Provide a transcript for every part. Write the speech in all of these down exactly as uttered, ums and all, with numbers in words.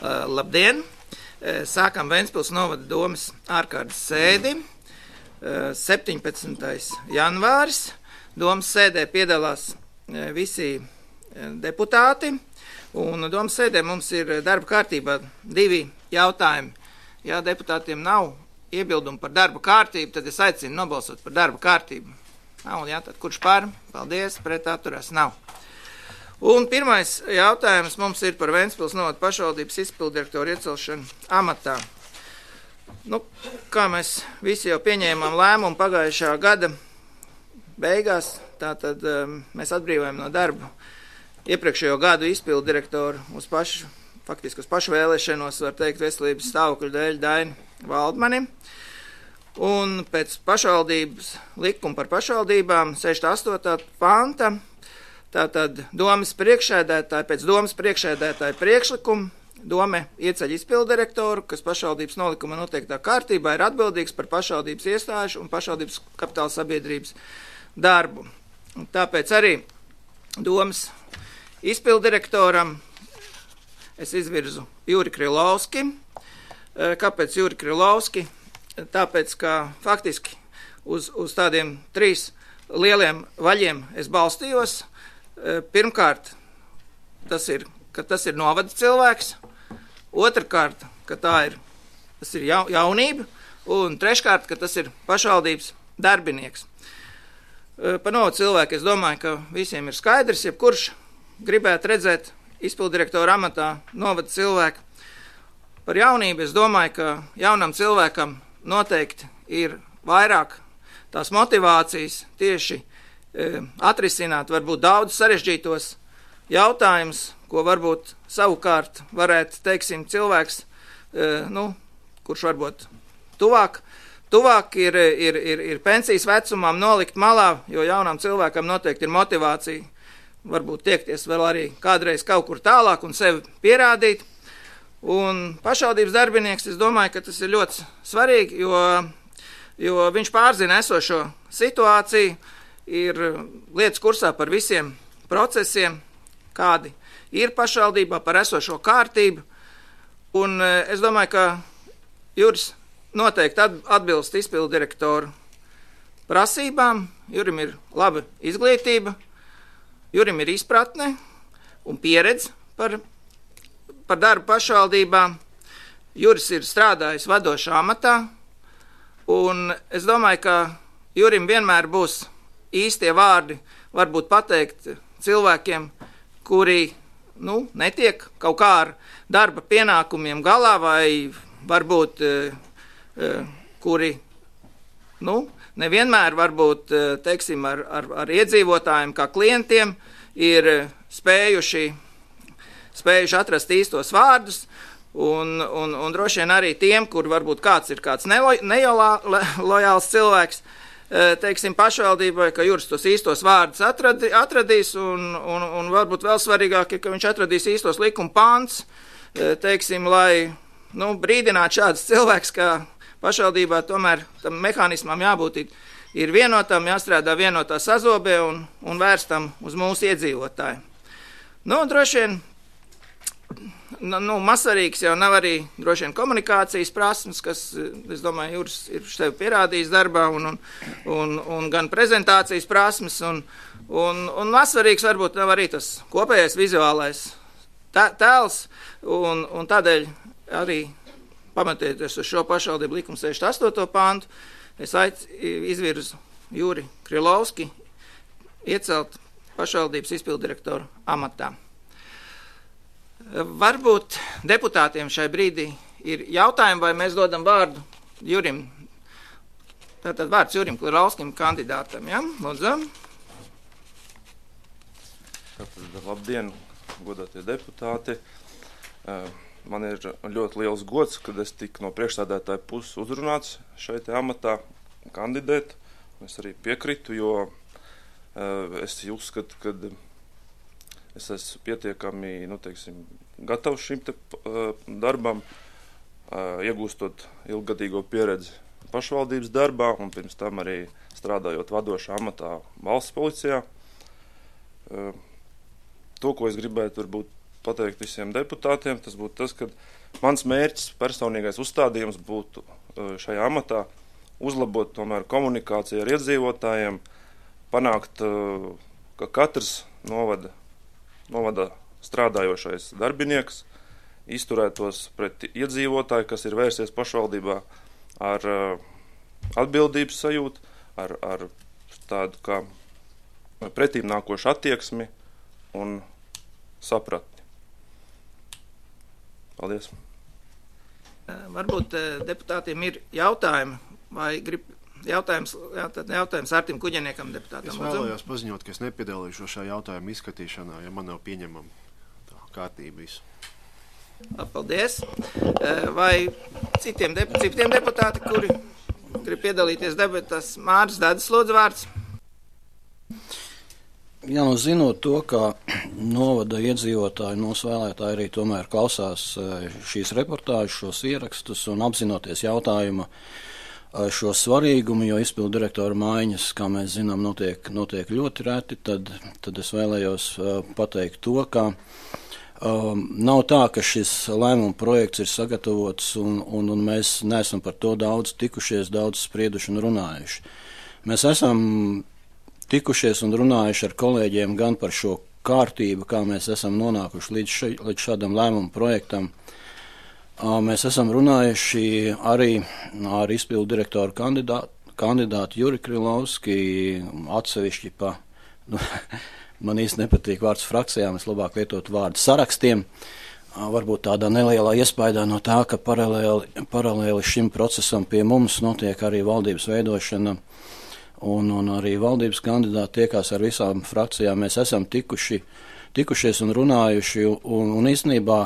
Labdien! Sākam Ventspils novada domes ārkārtas sēdi. septiņpadsmitais janvāris. Domes sēdē piedalās visi deputāti. Un domes sēdē mums ir darba kārtībā divi jautājumi. Ja deputātiem nav iebildumi par darba kārtību, tad es aicinu nobalsot par darba kārtību. Nav, jā, tad kurš par? Paldies, pret atturās nav. Un pirmais jautājums mums ir par Ventspils novada pašvaldības izpildirektoru iecelšanu amatā. Nu, kā mēs visi jau pieņēmām lēmumu pagājušā gada beigās, tātad um, mēs atbrīvojam no darba iepriekšējo gadu izpildirektoru uz pašu, faktiski uz pašvēlēšanos, var teikt, veselības stāvokļu dēļ Daini Valdmani. Un pēc pašvaldības likuma par pašvaldībām sešdesmit astotā panta, tātad domes priekšsēdētāji, pēc domes priekšsēdētāja priekšlikuma, dome ieceļ izpildirektoru, kas pašvaldības nolikuma noteiktā kārtībā ir atbildīgs par pašvaldības iestāžu un pašvaldības kapitāla sabiedrības darbu. Un tāpēc arī domes izpildirektoram es izvirzu Juri Krilovski. Kāpēc Juri Krilovski? Tāpēc, ka faktiski uz, uz tādiem trīs lieliem vaļiem es balstījos. Pirmkārt, tas ir, ka tas ir novada cilvēks. Otrkārt, ka tā ir, tas ir ja, jaunība. Un treškārt, ka tas ir pašvaldības darbinieks. Par novada cilvēku es domāju, ka visiem ir skaidrs, jebkurš gribētu redzēt izpildirektoru amatā novada cilvēku. Par jaunību es domāju, ka jaunam cilvēkam noteikti ir vairāk tās motivācijas tieši e, atrisināt varbūt daudz sarežģītos jautājumus, ko varbūt savukārt varētu, teiksim, cilvēks, e, nu, kurš varbūt tuvāk, tuvāk ir, ir, ir, ir pensijas vecumam nolikt malā, jo jaunam cilvēkam noteikti ir motivācija varbūt tiekties vēl arī kādreiz kaut kur tālāk un sevi pierādīt. Un pašvaldības darbinieks, es domāju, ka tas ir ļoti svarīgi, jo, jo viņš pārzina esošo situāciju, ir lietas kursā par visiem procesiem, kādi ir pašvaldībā, par esošo kārtību. Un es domāju, ka Juris noteikti atbilst izpildirektoru prasībām. Jurim ir laba izglītība, Jurim ir izpratne un pieredze par par darbu pašvaldībām. Juris ir strādājis vadošā amatā, un es domāju, ka Jurim vienmēr būs īstie vārdi varbūt pateikt cilvēkiem, kuri, nu, netiek kaut kā ar darba pienākumiem galā, vai varbūt, kuri, nu, nevienmēr varbūt, teiksim, ar, ar, ar iedzīvotājiem kā klientiem ir spējuši spējuši atrast īstos vārdus, un, un, un droši vien arī tiem, kur varbūt kāds ir kāds nelojāls cilvēks, teiksim, pašvaldībai, ka Juris tos īstos vārdus atradi, atradīs, un, un, un varbūt vēl svarīgāk ir, ka viņš atradīs īstos likuma pāns, teiksim, lai, nu, brīdinātu šāds cilvēks, ka pašvaldībā tomēr tam mehānismam jābūt ir, ir vienotam, jāstrādā vienotā sazobē un, un vērstam uz mūsu iedzīvotāju. Nu, droši vien, Nu, mazsvarīgs jau nav arī droši vien komunikācijas prasmes, kas, es domāju, Juris ir sevi pierādījis darbā, un, un, un, un gan prezentācijas prasmes, un, un, un mazsvarīgs varbūt nav arī tas kopējais vizuālais tēls, un, un tādēļ arī pamatēties uz šo pašvaldību likumu sešdesmit astoto pantu, es aic, izvirzu Juri Krilovski iecelt pašvaldības izpildirektoru amatā. Varbūt deputātiem šai brīdī ir jautājumi, vai mēs dodam vārdu Jurim. Tātad vārds Jurim Krilovskim kandidātam, ja? Lūdzu. Tātad, labdien, godātie deputāti. Man ir ļoti liels gods, kad es tiku no priekšsēdētāja puses uzrunāts šeit amatā kandidēt. Es arī piekritu, jo es uzskatu, ka es esmu pietiekami, nu, teiksim, gatavs šim te uh, darbam, uh, iegūstot ilgadīgo pieredzi pašvaldības darbā un pirms tam arī strādājot vadošā amatā valsts policijā. Uh, to, ko es gribētu varbūt pateikt visiem deputātiem, tas būtu tas, ka mans mērķis, personīgais uzstādījums būtu šajā amatā uzlabot tomēr komunikāciju ar iedzīvotājiem, panākt, ka katrs novada, novada strādājošais darbinieks izturētos pret iedzīvotāju, kas ir vērsies pašvaldībā ar atbildības sajūtu, ar, ar tādu kā pretīm nākošu attieksmi un sapratni. Paldies. Varbūt deputātiem ir jautājumi, vai grib jautājums, jautājums Artim Kuģeniekam deputātam. Es vēlējos paziņot, ka es nepiedalīšos šā jautājuma izskatīšanā, ja man nav pieņemama tā kārtība visu. Paldies. Vai citiem, dep citiem deputāti, kuri grib piedalīties debatās, Māris Dadas lūdzu vārds? Jā, nu zinot to, ka novada iedzīvotāji, mūsu vēlētāji arī tomēr klausās šīs reportāžas, šos ierakstus un apzinoties jautājumu šo svarīgumu, jo izpildu direktora maiņas, kā mēs zinām, notiek, notiek ļoti reti, tad, tad es vēlējos pateikt to, ka Um, nav tā, ka šis lēmuma projekts ir sagatavots un, un, un mēs neesam par to daudz tikušies, daudz sprieduši un runājuši. Mēs esam tikušies un runājuši ar kolēģiem gan par šo kārtību, kā mēs esam nonākuši līdz, še, līdz šādam lēmuma projektam. Uh, mēs esam runājuši arī ar izpildu direktoru kandidātu, kandidātu Juri Krilovski, atsevišķi pa... Nu, man īsti nepatīk vārds frakcijām, es labāk lietotu vārdu sarakstiem. Varbūt tādā nelielā iespaidā no tā, ka paralēli, paralēli šim procesam pie mums notiek arī valdības veidošana un, un arī valdības kandidāti tiekās ar visām frakcijām. Mēs esam tikuši, tikušies un runājuši un, un īstenībā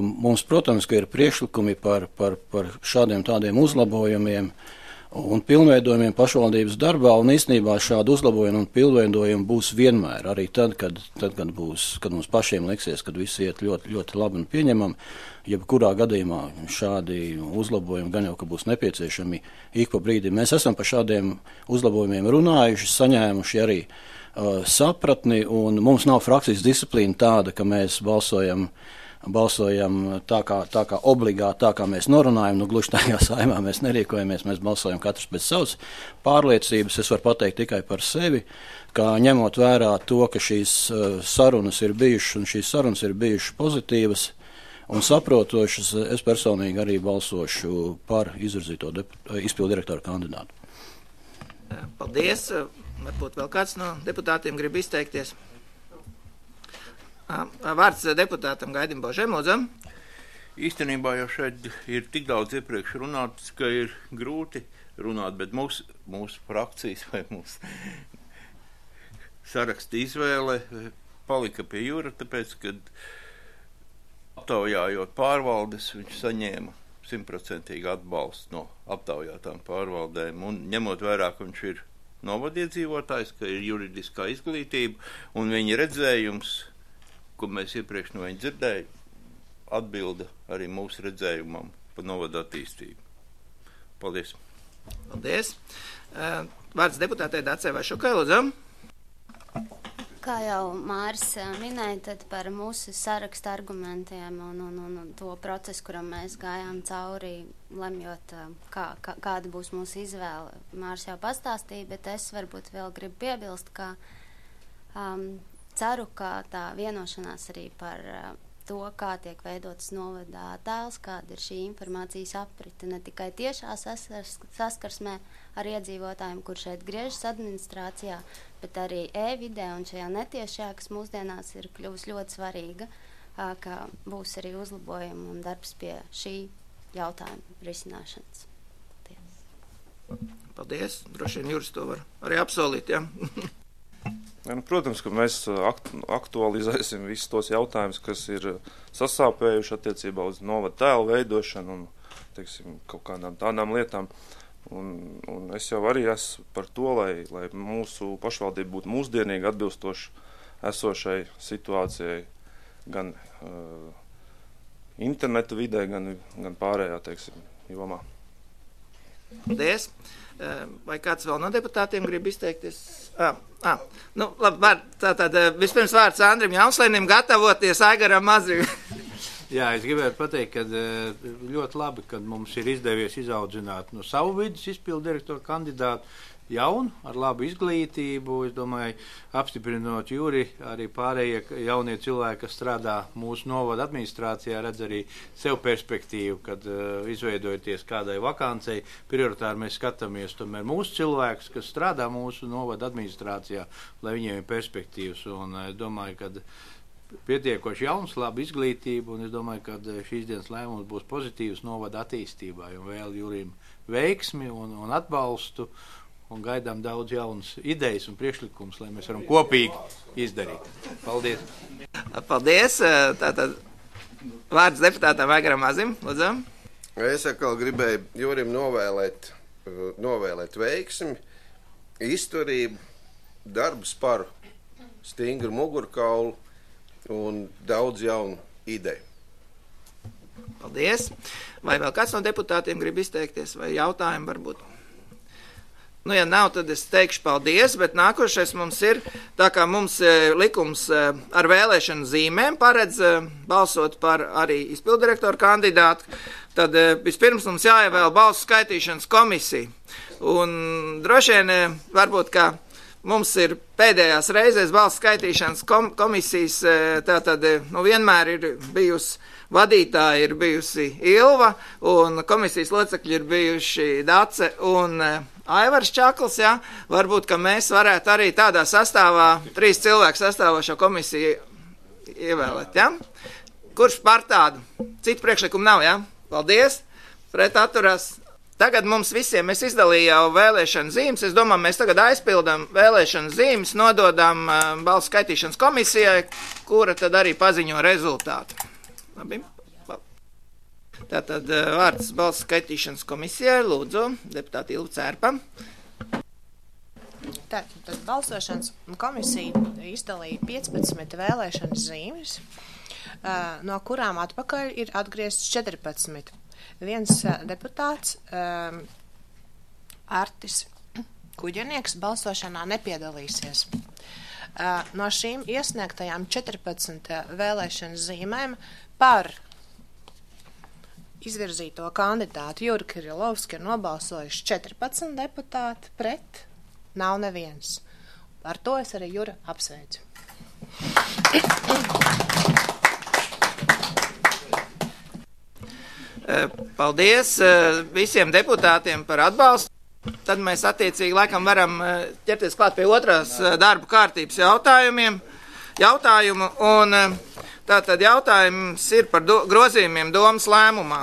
mums, protams, ka ir priekšlikumi par, par, par šādiem tādiem uzlabojumiem un pilnveidojumiem pašvaldības darbā, un īstenībā šādu uzlabojumu un pilnveidojumu būs vienmēr, arī tad, kad, tad, kad, būs, kad mums pašiem liksies, kad viss iet ļoti, ļoti labi un pieņemam, jebkurā gadījumā šādi uzlabojumi gan jau, ka būs nepieciešami ik pa brīdi. Mēs esam par šādiem uzlabojumiem runājuši, saņēmuši arī uh, sapratni, un mums nav frakcijas disciplīna tāda, ka mēs balsojam balsojam tā kā, tā kā obligāti, tā kā mēs norunājam, nu gluži tajā saimā mēs nerīkojamies, mēs balsojam katrs pēc savas pārliecības. Es varu pateikt tikai par sevi, ka ņemot vērā to, ka šīs uh, sarunas ir bijušas un šīs sarunas ir bijušas pozitīvas un saprotošas, es personīgi arī balsošu par izvirzīto izpildu direktoru kandidātu. Paldies. Varbūt vēl kāds no deputātiem grib izteikties. Vārds deputātam Gaidim Božem, lūdzu. Īstenībā jau šeit ir tik daudz iepriekš runāts, ka ir grūti runāt, bet mūsu, mūsu frakcijas vai mūsu saraksta izvēle palika pie Jūra, tāpēc, kad aptaujājot pārvaldes, viņš saņēma simtprocentīgi atbalstu no aptaujātām pārvaldēm, un ņemot vērā, ka viņš ir novadiedzīvotājs, ka ir juridiskā izglītība, un viņa redzējums, ko mēs iepriekš no viņa dzirdēju, atbilda arī mūsu redzējumam par novadu attīstību. Paldies. Paldies. Vārds deputātei Dacei Vašukai, lūdzu. Kā jau Māris minēja, tad par mūsu sarakstu argumentiem un, un, un, un to procesu, kuram mēs gājām cauri, lemjot, kā, kā, kāda būs mūsu izvēle. Māris jau pastāstīja, bet es varbūt vēl gribu piebilst, ka um, ceru, ka tā vienošanās arī par uh, to, kā tiek veidotas novada attēls, kāda ir šī informācijas aprite, ne tikai tiešā saskars, saskarsmē ar iedzīvotājiem, kur šeit griežas administrācijā, bet arī e-vidē un šajā netiešajā, kas mūsdienās ir kļuvusi ļoti svarīga, uh, ka būs arī uzlabojumi un darbs pie šī jautājuma risināšanas. Paldies. Paldies. Droši vien Juris to var arī apsolīt, ja? Ja, nu, protams, ka mēs aktualizēsim visus tos jautājumus, kas ir sasāpējuši attiecībā uz novada tēlu veidošanu un, teiksim, kaut kādām tādām lietām. Un, un es jau arī esmu par to, lai, lai mūsu pašvaldība būtu mūsdienīgi atbilstoši esošai situācijai gan uh, interneta vidē, gan, gan pārējā, teiksim, jomā. Paldies. Vai kāds vēl no deputātiem grib izteikties? Ah, ah. Nu, labi, var, tātad vispirms vārds Andrim Jaunslēnim gatavoties Aigaram Mazrim. Jā, es gribētu pateikt, ka ļoti labi, ka mums ir izdevies izaudzināt no savu vidus izpildu direktoru kandidātu jaunu, ar labu izglītību. Es domāju, apstiprinot Juri, arī pārējie jaunie cilvēki, kas strādā mūsu novada administrācijā, redz arī sev perspektīvu, kad uh, izveidojoties kādai vakancei, prioritāri mēs skatāmies tomēr mūsu cilvēkus, kas strādā mūsu novada administrācijā, lai viņiem ir perspektīvas. Un es domāju, ka pietiekoši jauns, laba izglītība, un es domāju, ka šīs dienas lēmums būs pozitīvs novada attīstībā, un vēl Jurim veiksmi un, un atbalstu, un gaidām daudz jaunas idejas un priekšlikums, lai mēs varam kopīgi izdarīt. Paldies! Paldies! Tātad vārds deputātam Aigaram Mazim, lūdzu. Es atkal gribēju Jurim novēlēt, novēlēt veiksmi, izturību, darbu sparu, stingru mugurkaulu un daudz jaunu ideju. Paldies! Vai vēl kāds no deputātiem grib izteikties, vai jautājumi varbūt? Nu, ja nav, tad es teikšu paldies, bet nākošais mums ir, tā kā mums e, likums e, ar vēlēšanu zīmēm paredz e, balsot par arī izpildirektoru kandidātu, tad e, vispirms mums jāievēl balsu skaitīšanas komisija. Un droši vien, e, varbūt, kā mums ir pēdējās reizēs balsu skaitīšanas kom komisijas, e, tā tad e, nu, vienmēr ir bijusi vadītāja, ir bijusi Ilva, un komisijas locekļi ir bijuši Dace un e, Aivars Čakls, jā, varbūt, ka mēs varētu arī tādā sastāvā, trīs cilvēku sastāvošo komisiju ievēlēt, jā? Kurš par tādu? Citu priekšlikumu nav, jā? Paldies, pret atturās. Tagad mums visiem, es izdalīju jau vēlēšanu zīmes, es domāju, mēs tagad aizpildam vēlēšanu zīmes, nododam uh, balsu skaitīšanas komisijai, kura tad arī paziņo rezultātu. Labi. Tātad vārds balsu skaitīšanas komisijai, lūdzu, deputāti Ilva Cērpa. Tātad balsošanas komisija izdalīja piecpadsmit vēlēšanas zīmes, no kurām atpakaļ ir atgriezts četrpadsmit. Viens deputāts, um, Artis Kuģenieks, balsošanā nepiedalīsies. Uh, no šīm iesniegtajām četrpadsmit vēlēšanas zīmēm par izvirzīto kandidātu Juri Kirilovski ir nobalsojuši četrpadsmit deputāti, pret nav neviens. Ar to es arī Jura apsveicu. Paldies visiem deputātiem par atbalstu. Tad mēs attiecīgi laikam varam ķerties klāt pie otrās darba kārtības jautājumiem. Jautājumu, un tātad jautājums ir par do, grozījumiem domas lēmumā.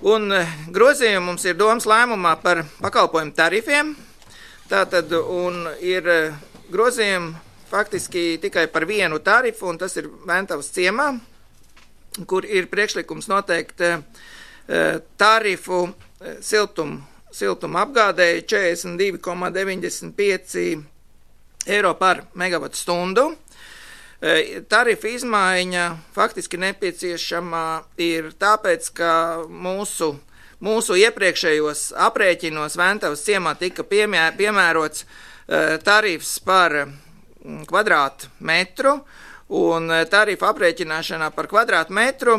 Un grozījumi mums ir domas lēmumā par pakalpojumu tarifiem. Tātad, un ir grozījumi faktiski tikai par vienu tarifu, un tas ir Ventavas ciemā, kur ir priekšlikums noteikt tarifu siltumu, siltumu apgādēji četrdesmit divi komā deviņdesmit pieci eiro par megavatu stundu. Tarifa izmaiņa faktiski nepieciešama ir tāpēc, ka mūsu, mūsu iepriekšējos aprēķinos Ventavas ciemā tika piemē, piemērots tarifs par kvadrātu metru, un tarifa aprēķināšanā par kvadrātu metru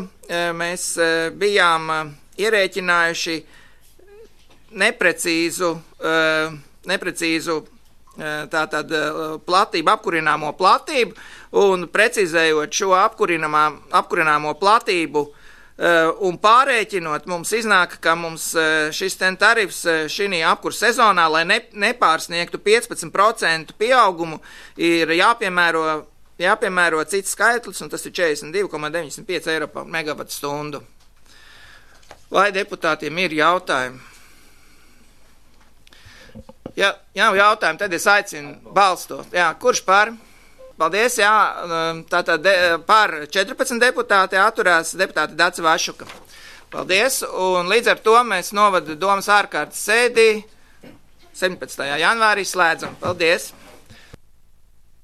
mēs bijām ierēķinājuši neprecīzu, neprecīzu tātad platību, apkurināmo platību, un precizējot šo apkurināmo platību un pārēķinot, mums iznāk, ka mums šis ten tarifs šī apkur sezonā, lai ne, nepārsniegtu piecpadsmit procentu pieaugumu, ir jāpiemēro, jāpiemēro cits skaitlis, un tas ir četrdesmit divi komā deviņdesmit pieci eiro par megavatu stundu. Vai deputātiem ir jautājumi? Ja nav jautājumu, tad es aicinu balstot. Jā, kurš par? Paldies, jā, tātad de, par četrpadsmit deputāti atturās deputāti Dace Vašuka. Paldies, un līdz ar to mēs novada domas ārkārtas sēdī septiņpadsmitajā janvārī slēdzam. Paldies!